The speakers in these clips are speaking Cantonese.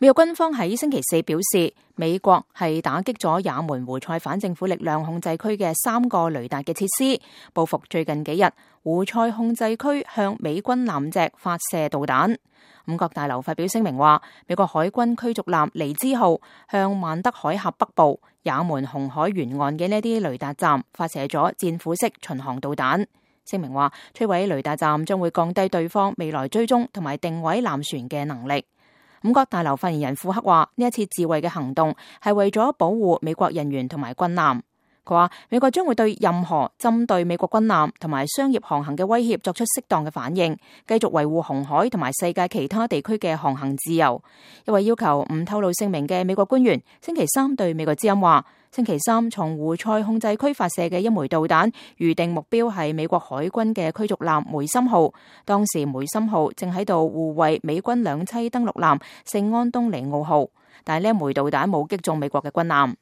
美國軍方喺星期四表示，美國係打擊咗也門胡塞反政府力量控制區嘅3個雷達嘅設施，報復最近幾日胡塞控制區向美軍艦隻發射導彈。五角大樓發表聲明話，美國海軍驅逐艦尼茲號向曼德海峽北部也門紅海沿岸嘅呢啲雷達站發射咗戰斧式巡航導彈。聲明話，摧毀雷達站將會降低對方未來追蹤同埋定位艦船嘅能力。五角大樓發言人庫克話，呢一次自衛嘅行動係為咗保護美國人員同埋軍艦。佢話，美國將會對任何針對美國軍艦同埋商業航行嘅威脅作出適當嘅反應，繼續維護紅海同埋世界其他地區嘅航行自由。一位要求唔透露姓名嘅美國官員星期三對美國之音話，星期三從胡塞控制區發射嘅一枚導彈，預定目標係美國海軍嘅驅逐艦梅森號。當時梅森號正喺度護衛美軍兩棲登陸艦聖安東尼奧號，但係呢一枚導彈冇擊中美國嘅軍艦。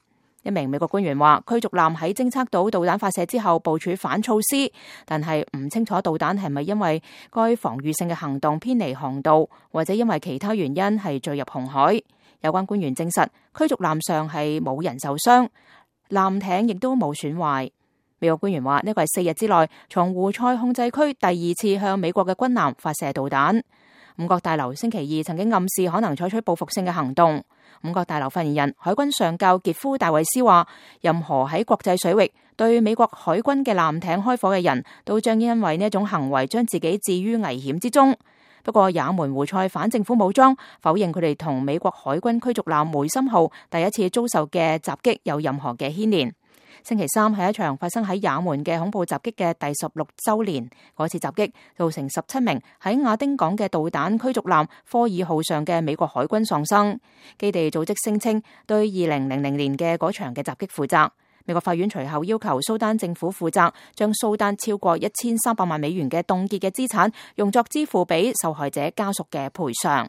一名美國官員話，驅逐艦喺偵測到導彈發射之後部署反措施，但係唔清楚導彈係咪因為該防禦性嘅行動偏離航道，或者因為其他原因係墜入紅海。有關官員證實，驅逐艦上係冇人受傷，艦艇亦都冇損壞。美國官員話，呢個係4日之內從胡塞控制區第2次向美國嘅軍艦發射導彈。五角大樓星期二曾經暗示可能採取報復性嘅行動。五角大樓發言人海軍上校傑夫戴維斯話，任何喺國際水域對美國海軍嘅艦艇開火嘅人都將因為呢一種行為將自己置於危險之中。不過也門胡塞反政府武裝否認佢哋同美國海軍驅逐艦梅森號第一次遭受嘅襲擊有任何嘅牽連。星期三係一場發生喺也門嘅恐怖襲擊嘅第16週年。嗰次襲擊造成17名喺亞丁港嘅導彈驅逐艦科爾號上嘅美國海軍喪生。基地組織聲稱對2000年嘅嗰場嘅襲擊負責。美國法院隨後要求蘇丹政府負責，將蘇丹超過1300萬美元嘅凍結嘅資產用作支付俾受害者家屬嘅賠償。